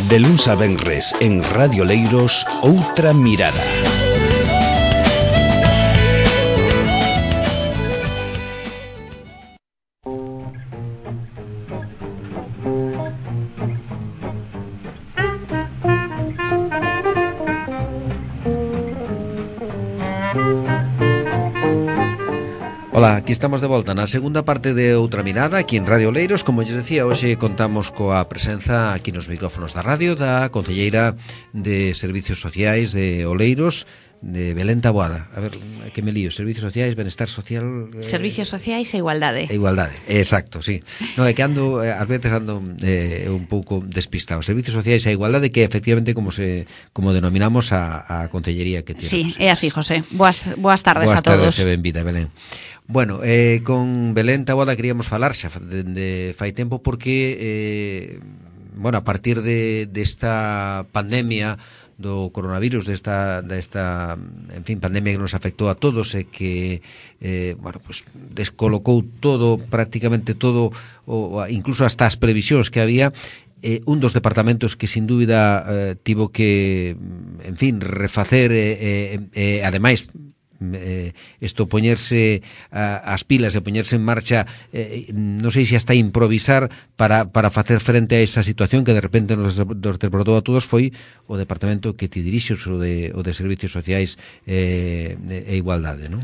De luns a venres en Radio Oleiros, Outra Mirada. Ola, aquí estamos de volta na segunda parte de Outra Mirada, aquí en Radio Oleiros. Como lles decía, hoxe contamos coa presenza aquí nos micrófonos da radio da concelleira de Servicios Sociais de Oleiros, de Belén Taboada. A ver, que me lío, Servicios Sociais, Benestar Social... Servicios Sociais e Igualdade. E Igualdade, exacto, sí. No, é que ando, ás veces ando un pouco despistado. Servicios Sociais e Igualdade, que efectivamente como denominamos a concellería que tiene. Sí, é así, José. Boas tardes a todos. Boas tardes e benvida, Belén. Bueno, con Belén Taboada queríamos falar xa de fai tempo porque a partir desta pandemia do coronavirus, desta en fin, pandemia que nos afectou a todos e que descolocou todo, prácticamente todo, incluso hasta as previsións que había. Un dos departamentos que sin dúbida tivo que, en fin, refacer ademais isto poñerse as pilas e poñerse en marcha, non sei se hasta improvisar para facer frente a esa situación que de repente nos desbordou a todos, foi o departamento que ti dirixes, o de Servicios Sociais e Igualdade, non?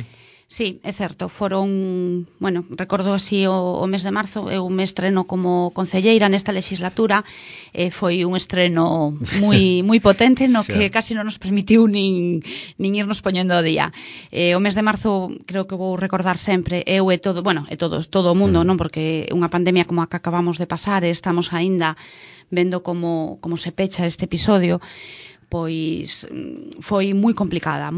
Sí, é certo, recordo así o mes de marzo, eu me estreno como concelleira nesta legislatura, foi un estreno moi potente, no que casi non nos permitiu nin irnos poñendo o día. O mes de marzo, creo que vou recordar sempre, eu e todo o mundo, non, porque unha pandemia como a que acabamos de pasar, e estamos aínda vendo como se pecha este episodio, pois foi moi complicada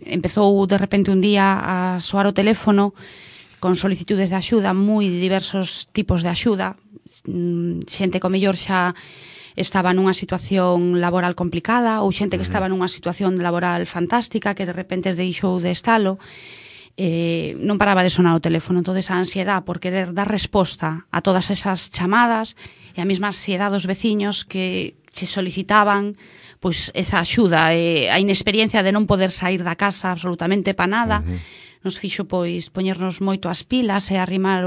empezou de repente un día a soar o teléfono con solicitudes de axuda, moi diversos tipos de axuda, xente que ao mellor xa estaba nunha situación laboral complicada ou xente que estaba nunha situación laboral fantástica que de repente deixou de estalo. Non paraba de sonar o teléfono, entón a ansiedade por querer dar resposta a todas esas chamadas e a mesma ansiedade dos veciños que se solicitaban pois esa axuda, a inexperiencia de non poder sair da casa absolutamente para nada, nos fixo pois poñernos moito as pilas e arrimar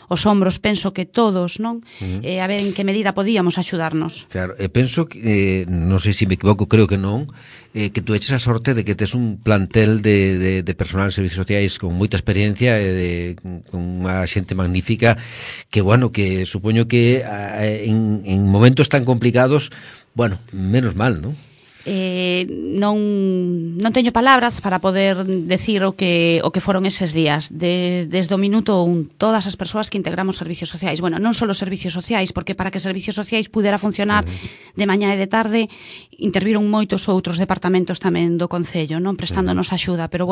os hombros, penso que todos, non? A ver en que medida podíamos axudarnos. Claro, penso que, non sei se me equivoco, creo que non, que tú eches a sorte de que tes un plantel de personal de servicios sociais con moita experiencia e con unha xente magnífica que, que supoño que en momentos tan complicados, menos mal, non? Non teño palabras para poder decir o que foron eses días desde o minuto 1, todas as persoas que integramos servicios sociais, non só servicios sociais, porque para que servicios sociais pudera funcionar de mañá e de tarde interviron moitos outros departamentos tamén do Concello, non prestándonos axuda, pero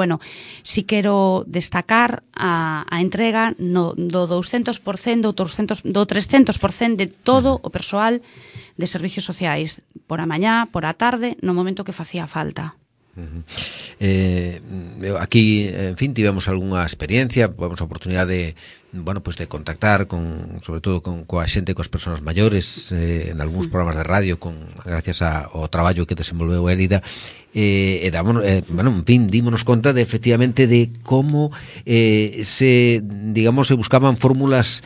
si quero destacar a entrega do 200%, do 300% de todo o persoal de servicios sociais, por a mañá, por a tarde, no momento que facía falta. Aquí, en fin, tivemos algunha experiencia, tivemos a oportunidade de contactar sobre todo coa xente, coas persoas maiores en algúns programas de radio gracias ao traballo que desenvolveu Élida en fin, dímonos conta efectivamente de como se buscaban fórmulas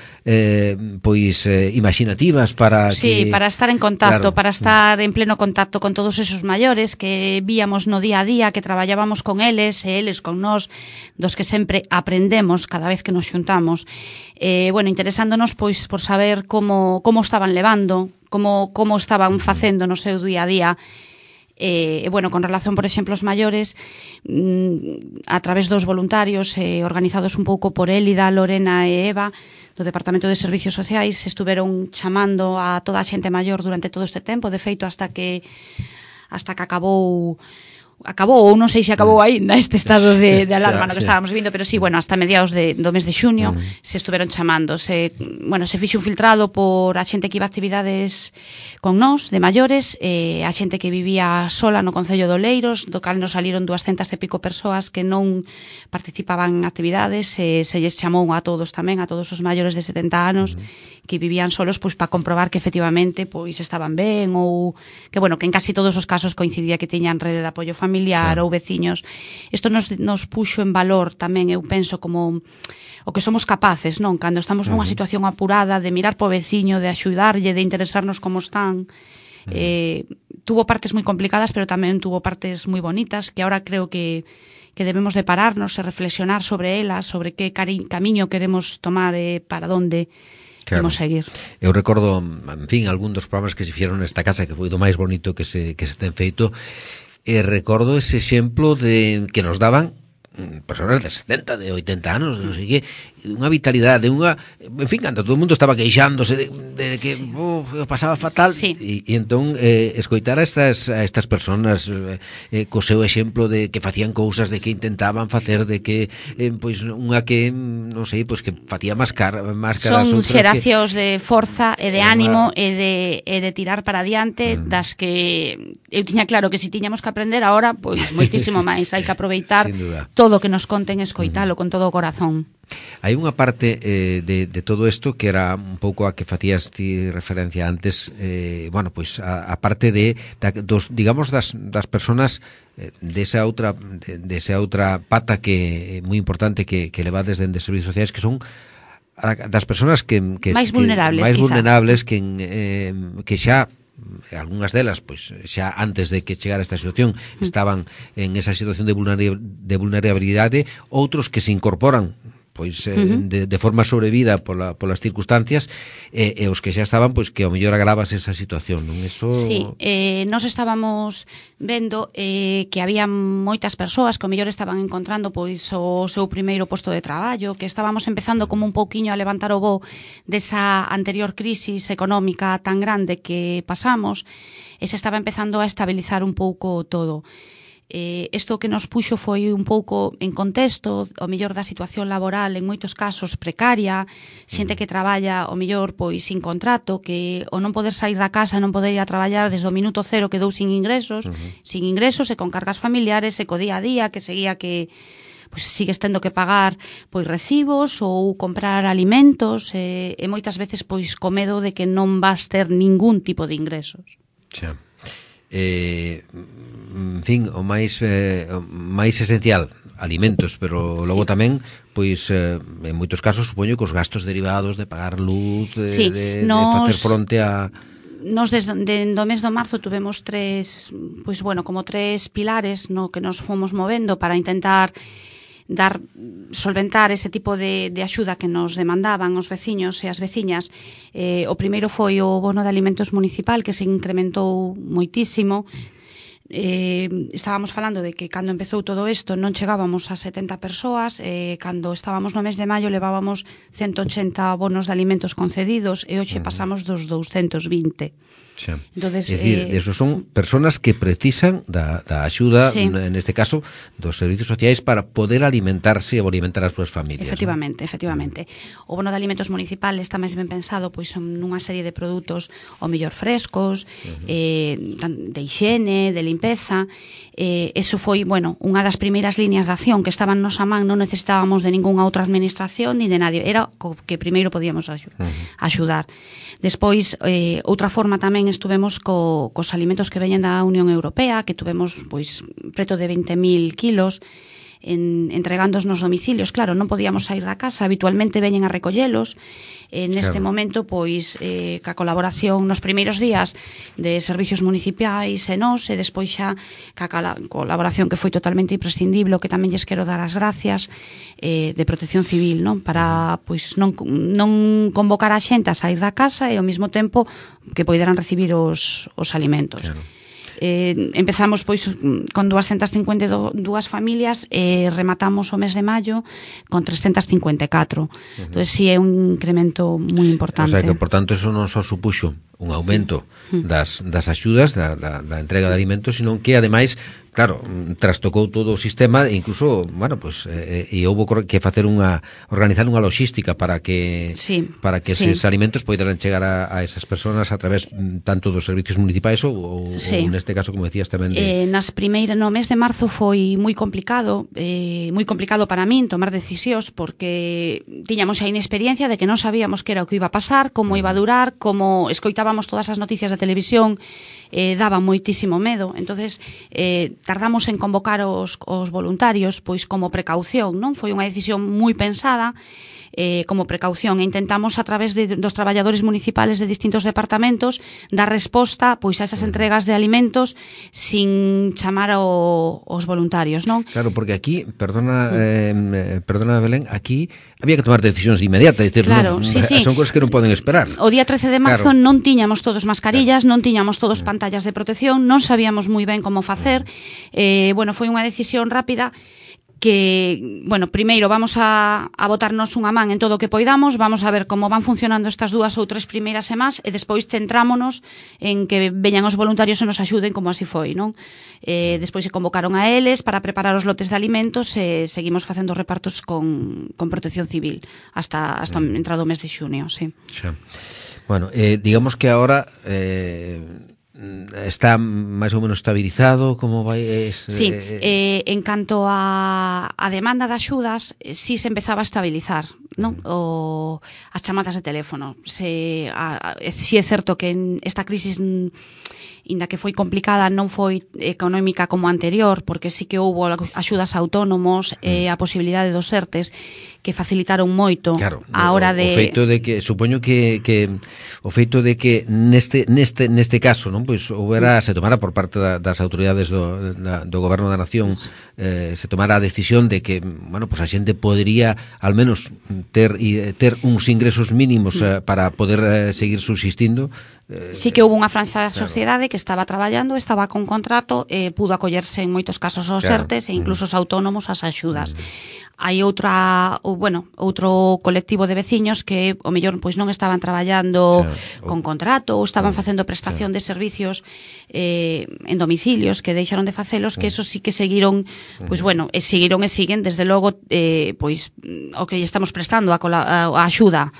imaginativas para para estar en contacto, para estar en pleno contacto con todos esos maiores que víamos no día a día, que traballábamos con eles e eles con nós, dos que sempre aprendemos cada vez que nos xuntamos. Interesándonos pois por saber como estaban levando, como estaban facendo no seu día a día. Con relación, por exemplo, aos maiores, a través dos voluntarios organizados un pouco por Élida, Lorena e Eva do Departamento de Servicios Sociais, estuveron chamando a toda a xente maior durante todo este tempo, de feito hasta que acabou acabou, ou non sei se acabou aínda este estado de alarma no que estábamos vivindo, pero sí, bueno, hasta mediados do mes de xuño se estuveron chamando, se fixo un filtrado por a xente que iba a actividades con nós, de maiores, a xente que vivía sola no Concello de Oleiros, do cal nos saliron 200 e pico persoas que non participaban en actividades, se lles chamou a todos tamén, a todos os maiores de 70 anos que vivían solos, pois para comprobar que efectivamente pois estaban ben, ou que, bueno, que en casi todos os casos coincidía que tiñan rede de apoio familiar ou veciños. Isto nos puxo en valor tamén, eu penso, como o que somos capaces, non? Cando estamos nunha situación apurada, de mirar po veciño, de axudarlle, de interesarnos como están. Tuvo partes moi complicadas, pero tamén tuvo partes moi bonitas, que ahora creo que debemos de pararnos e reflexionar sobre elas, sobre que camiño queremos tomar e para onde vamos seguir. Eu recordo, en fin, algún dos programas que se fixeron nesta casa, que foi do máis bonito que se ten feito, e recordo ese exemplo de que nos daban personas de 70, de 80 anos, non sei que, unha vitalidade, en fin, cando todo o mundo estaba queixándose de que pasaba fatal, e entón escoitar a estas personas co seu exemplo de que facían cousas, de que intentaban facer, de que pois unha que, non sei, pois que facía máscaras, son xeracións de forza e de ánimo e de tirar para adiante, das que eu tiña claro que se tiñamos que aprender agora, pois moitísimo máis, hai que aproveitar todo o que nos conten, escoitalo con todo o corazón. Hai unha parte de todo isto que era un pouco a que facías ti referencia antes, bueno, pois a parte digamos das personas desa outra pata que é moi importante que levades dende servicios sociais, que son das persoas que máis vulnerables, que xa algunhas delas, pois xa antes de que chegara esta situación estaban en esa situación de vulnerabilidade, outros que se incorporan pois de forma sobrevida polas circunstancias, e os que xa estaban, pois que ao mellor agravas esa situación, non? Eso... Sí, nós estábamos vendo que había moitas persoas que ao mellor estaban encontrando pois o seu primeiro posto de traballo, que estábamos empezando como un pouquiño a levantar o voo desa anterior crisis económica tan grande que pasamos, e se estaba empezando a estabilizar un pouco todo. Isto que nos puxo foi un pouco en contexto o mellor da situación laboral, en moitos casos precaria, xente que traballa o mellor pois sin contrato, que o non poder sair da casa, non poder ir a traballar desde o minuto cero quedou sin ingresos e con cargas familiares e co día a día, que seguía que pois sigues tendo que pagar pois recibos ou comprar alimentos, e moitas veces pois co medo de que non vas ter ningún tipo de ingresos. Xa. En fin, o máis esencial, alimentos, pero logo tamén, pois, en moitos casos, supoño que os gastos derivados de pagar luz, de facer fronte a... Nos do mes de marzo tuvemos tres pilares no que nos fomos movendo para intentar solventar ese tipo de axuda que nos demandaban os veciños e as veciñas. O primeiro foi o bono de alimentos municipal, que se incrementou moitísimo. Estábamos falando de que cando empezou todo isto non chegábamos a 70 persoas, cando estábamos no mes de maio levábamos 180 bonos de alimentos concedidos e hoxe pasamos dos 220. Xa. Entonces, é dicir, esos son personas que precisan da axuda, neste caso, dos servicios sociais para poder alimentarse ou alimentar as súas familias. Efectivamente. O bono de alimentos municipal está máis ben pensado pois nunha serie de produtos o mellor frescos, de higiene, de limpeza. Eso foi, unha das primeiras líneas de acción que estaban nos a man, non necesitábamos de ningunha outra administración ni de nadie, era o que primeiro podíamos axudar. Despois, outra forma tamén estuvemos cos alimentos que veñen da Unión Europea, que tuvemos pois preto de 20.000 kilos entregándoos nos domicilios. Claro, non podíamos sair da casa, habitualmente veñen a recollelos. Neste momento, pois, ca colaboración nos primeiros días de servicios municipais e nós, e despois xa ca colaboración que foi totalmente imprescindible, que tamén lles quero dar as gracias, de Protección Civil, non? Para pois non convocar a xente a sair da casa e ao mesmo tempo que poideran recibir os alimentos. Claro. Empezamos pois con 252 familias e rematamos o mes de maio con 354. Entón, si é un incremento moi importante. O sea que, por tanto, eso non só supuxo un aumento das axudas, da entrega de alimentos, sino que, ademais, claro, trastocou todo o sistema e incluso, bueno, pues e houbo que facer organizar unha logística para que esos alimentos poideran chegar a esas persoas a través tanto dos servicios municipais ou neste caso, como decías tamén no mes de marzo foi moi complicado para min tomar decisións porque tiñamos a inexperiencia de que non sabíamos que era o que iba a pasar, como iba a durar, como escoitábamos todas as noticias da televisión, daba moitísimo medo. Entonces tardamos en convocar os voluntarios pois como precaución, non? Foi unha decisión moi pensada como precaución, e intentamos a través dos traballadores municipales de distintos departamentos dar resposta pois a esas entregas de alimentos sin chamar aos voluntarios, non? Claro, porque aquí, perdona Belén, aquí había que tomar decisións de inmediata, decir, claro, non, sí. son cosas que non poden esperar. O día 13 de marzo non tiñamos todos mascarillas, non tiñamos todos pantallas de protección, non sabíamos moi ben como facer. Foi unha decisión rápida que, primeiro vamos a botarnos unha man en todo o que poidamos, vamos a ver como van funcionando estas 2 ou 3 primeiras semanas e despois centrámonos en que veñan os voluntarios e nos axuden como así foi, non? Despois se convocaron a eles para preparar os lotes de alimentos e seguimos facendo repartos con Protección Civil hasta entrado o mes de xunio, sí. Xa. Bueno, digamos que ahora está máis ou menos estabilizado, como vai? Sí, en canto a demanda de axudas, sí se empezaba a estabilizar, non? As chamadas de teléfono. Sí é certo que esta crisis, inda que foi complicada, non foi económica como a anterior, porque sí que houbo axudas a autónomos e a posibilidade dos ERTES que facilitaron moito a hora de... O feito de que, supoño que o feito de que neste caso, non, pois se tomara por parte das autoridades do Goberno da Nación, se tomara a decisión de que, bueno, pois a xente podería al menos ter uns ingresos mínimos para poder seguir subsistindo. Sí que houve unha franxa da sociedade que estaba traballando, estaba con contrato, pudo acollerse en moitos casos aos ERTES e incluso os autónomos ás axudas. Hai outro colectivo de veciños que o mellor pois non estaban traballando con contrato ou estaban facendo prestación de servicios en domicilios que deixaron de facelos, que eso sí que seguiron, pois e siguen desde logo pois o que estamos prestando a axuda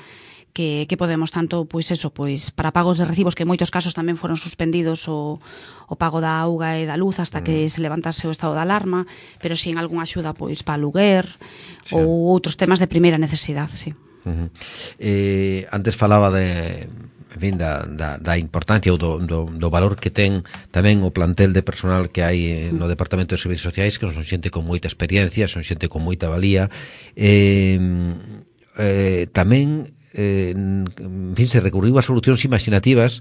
que podemos, tanto para pagos de recibos, que en moitos casos tamén foron suspendidos o pago da auga e da luz hasta que se levantase o estado de alarma, pero si en algunha axuda para aluguer ou outros temas de primeira necesidade, sí. Antes falaba da importancia ou do valor que ten tamén o plantel de personal que hai no Departamento de Servicios Sociais, que son xente con moita experiencia, son xente con moita valía, tamén en fin, se recurriu a solucións imaginativas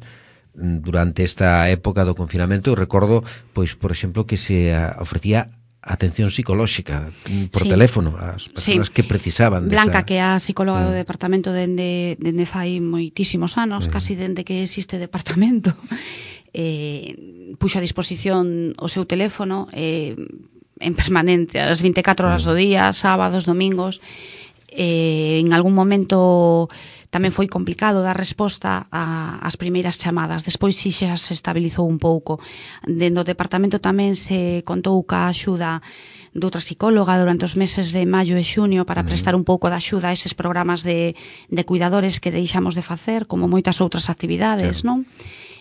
durante esta época do confinamento. Eu recordo, pois, por exemplo, que se ofrecía atención psicolóxica por teléfono ás persoas que precisaban Blanca, que é a psicóloga do departamento dende fai moitísimos anos, casi dende que existe departamento, puxo a disposición o seu teléfono en permanente, as 24 horas do día, sábados, domingos. En algún momento tamén foi complicado dar resposta ás primeiras chamadas. Despois si xa se estabilizou un pouco. Dentro do departamento tamén se contou ca axuda de outra psicóloga durante os meses de maio e xunio para prestar un pouco de axuda a eses programas de cuidadores que deixamos de facer, como moitas outras actividades, non?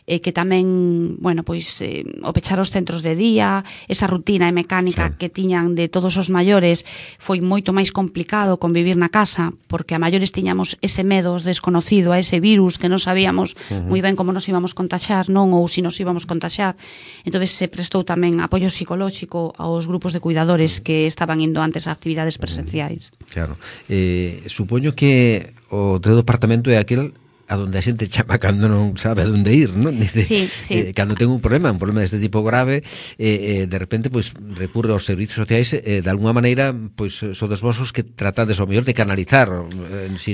Que tamén, o pechar os centros de día, esa rutina e mecánica que tiñan de todos os maiores, foi moito máis complicado convivir na casa, porque a maiores tiñamos ese medo desconocido, a ese virus que non sabíamos moi ben como nos íbamos contaxar, non, ou se nos íbamos contaxar. Entonces se prestou tamén apoio psicolóxico aos grupos de cuidadores que estaban indo antes a actividades presenciais. Claro. Supoño que o teu departamento é aquel a donde a xente chama cando non sabe a onde ir, non? Dice, sí. Cando ten un problema deste tipo grave, de repente pois recurre aos servicios sociais, de alguma maneira pois sodes vosos que tratades ao mellor de canalizar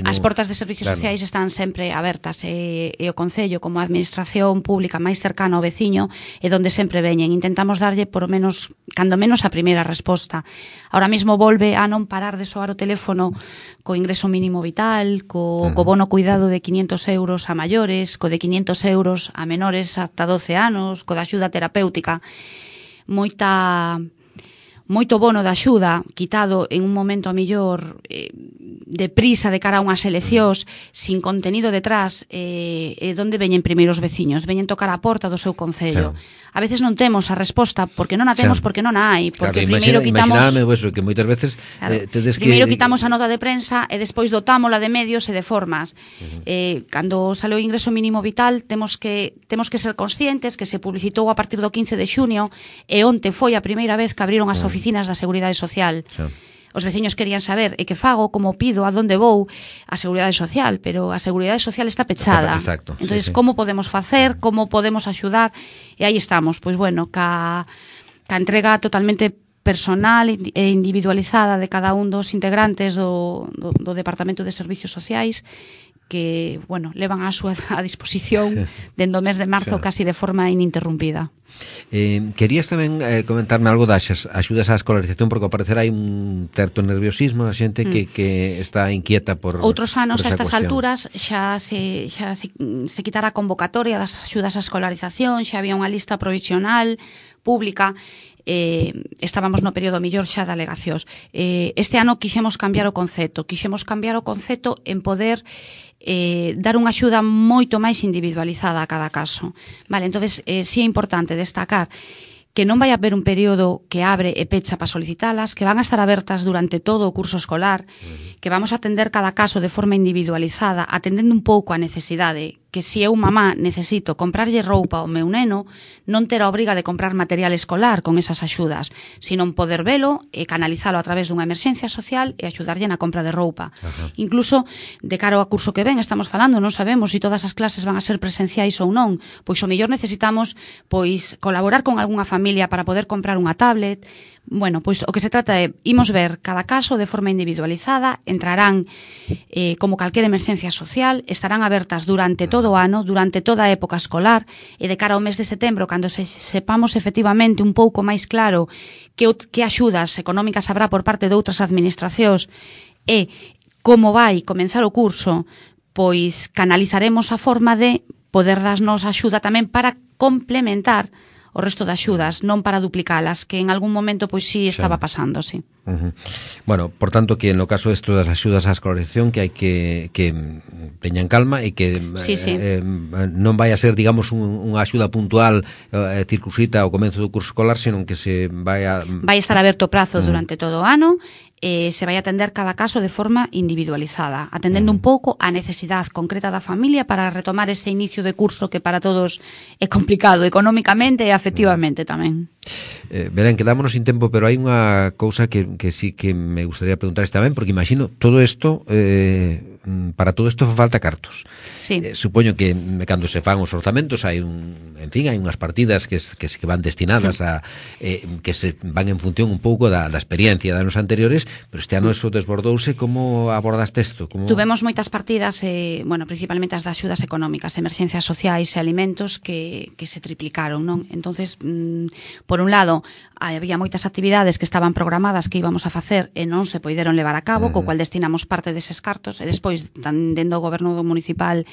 as portas de servicios sociais están sempre abertas, e o Concello como a administración pública máis cercana ao veciño é donde sempre veñen. Intentamos darlle por menos, cando menos, a primeira resposta. Ahora mesmo volve a non parar de soar o teléfono co ingreso mínimo vital, co bono cuidado de 500 euros a maiores, co de 500 euros a menores ata 12 anos, co da axuda terapéutica. moito bono de axuda quitado en un momento a mellor de prisa de cara a unhas eleccións sin contenido detrás, donde veñen primeiro os veciños, veñen tocar a porta do seu concello. A veces non temos a resposta porque non a temos, porque non a hai, porque primeiro quitamos que moitas veces primeiro quitamos a nota de prensa e despois dotámola de medios e de formas. Cando sale o ingreso mínimo vital temos que ser conscientes que se publicitou a partir do 15 de xunio e onte foi a primeira vez que abriron as oficinas da Seguridade Social. Os veciños querían saber e que fago, como pido, a donde vou a Seguridade Social, pero a Seguridade Social está pechada. Exacto. Entonces, como podemos facer, como podemos axudar? E aí estamos, pois bueno, ca entrega totalmente personal e individualizada de cada un dos integrantes do Departamento de Servicios Sociais, que, bueno, levan a súa a disposición dende o mes de marzo casi de forma ininterrumpida. Querías tamén comentarme algo das axudas á escolarización, porque ao parecer hai un certo nerviosismo na xente que está inquieta por outros anos por a estas cuestión. Alturas xa se quitara a convocatoria das axudas á escolarización, xa había unha lista provisional pública. Estábamos no período mellor xa de alegacións. Este ano quixemos cambiar o concepto en poder dar unha axuda moito máis individualizada a cada caso. Vale, entonces si é importante destacar que non vai haber un período que abre e pecha para solicitalas, que van a estar abertas durante todo o curso escolar, que vamos a atender cada caso de forma individualizada, atendendo un pouco a necesidade, que se eu mamá necesito comprarlle roupa ao meu neno, non ter a obriga de comprar material escolar con esas axudas, sino poder velo e canalizalo a través dunha emerxencia social e axudarlle na compra de roupa. Incluso, de cara ao curso que ven, estamos falando, non sabemos se todas as clases van a ser presenciais ou non, pois o mellor necesitamos colaborar con algunha familia para poder comprar unha tablet. Bueno, pois o que se trata é, imos ver cada caso de forma individualizada, entrarán como calquera emerxencia social, estarán abertas durante todo o ano, durante toda a época escolar, e de cara ao mes de setembro, cando sepamos efectivamente un pouco máis claro que axudas económicas habrá por parte de outras administracións e como vai comenzar o curso, pois canalizaremos a forma de poder darnos axuda tamén para complementar o resto de axudas, non para duplicalas, que en algún momento pois sí estaba pasando, sí. Bueno, por tanto, que no caso isto das axudas á escolarización, que hai que teñan calma e que non vai a ser, digamos, unha axuda puntual circunscrita ao comenzo do curso escolar, senón que se vai a estar aberto o prazo durante todo o ano, se vai atender cada caso de forma individualizada, atendendo un pouco a necesidade concreta da familia para retomar ese inicio de curso que para todos é complicado económicamente e afectivamente tamén. Belén, quedámonos sin tempo, pero hai unha cousa que sí que me gustaría preguntar tamén, porque imagino todo isto, para todo isto falta cartos. Sí. Supoño que cando se fan os orzamentos hai hai unhas partidas que van destinadas a que se van en función un pouco da experiencia de anos anteriores, pero este ano eso desbordouse. Como abordaste isto? Tuvemos moitas partidas, principalmente as de axudas económicas, emerxencias sociais e alimentos que se triplicaron, non? Entonces, por un lado, había moitas actividades que estaban programadas que íbamos a facer e non se poideron levar a cabo, co cual destinamos parte deses cartos, e despois, dendo o goberno municipal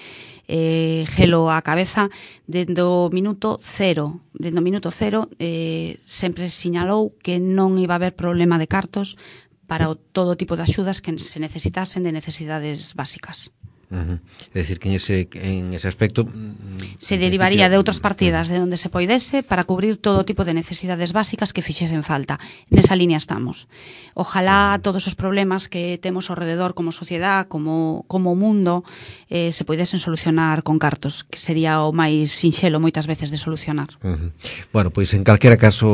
gelo á cabeza, dendo minuto cero, sempre sinalou que non iba a haber problema de cartos para todo tipo de axudas que se necesitasen de necesidades básicas. É dicir, que en ese aspecto se derivaría de outras partidas de onde se poidese para cubrir todo tipo de necesidades básicas que fixesen falta. Nesa línea estamos. Ojalá todos os problemas que temos ao rededor como sociedade, como mundo, se poidesen solucionar con cartos, que sería o máis sinxelo moitas veces de solucionar. Bueno, pois en calquera caso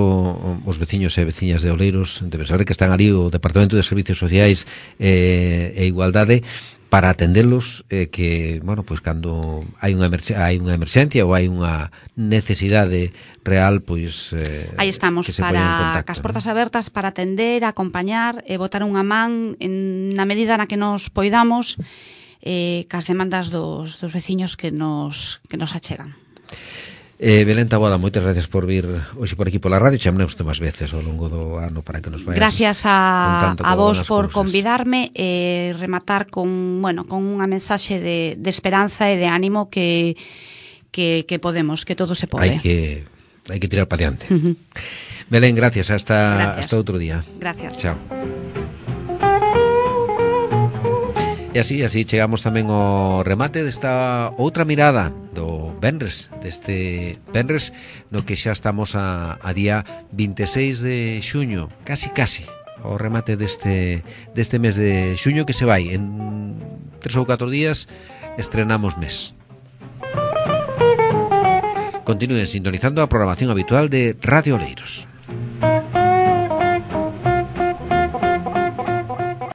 os veciños e veciñas de Oleiros deben saber que están ali o Departamento de Servicios Sociais e Igualdade para atendelos, que, bueno, pois cando hai unha emerxencia ou hai unha necesidade real, pois aí estamos, para cas portas abertas para atender, acompañar e botar unha man na medida na que nos poidamos cas demandas dos veciños que nos achegan. Belén Taboada, moitas gracias por vir hoxe por aquí pola radio. Chamaremos máis veces ao longo do ano para que nos vayas. Gracias a vos por convidarme e rematar con unha mensaxe de esperanza e de ánimo que podemos, que todo se pode. Hai que tirar para diante. Belén, gracias. Hasta outro día. Gracias. Chao. E así chegamos tamén ao remate desta outra mirada do Venres, deste Venres no que xa estamos a día 26 de xuño, casi o remate deste mes de xuño que se vai en 3 ou 4 días estrenamos mes. Continúen sintonizando a programación habitual de Radio Oleiros.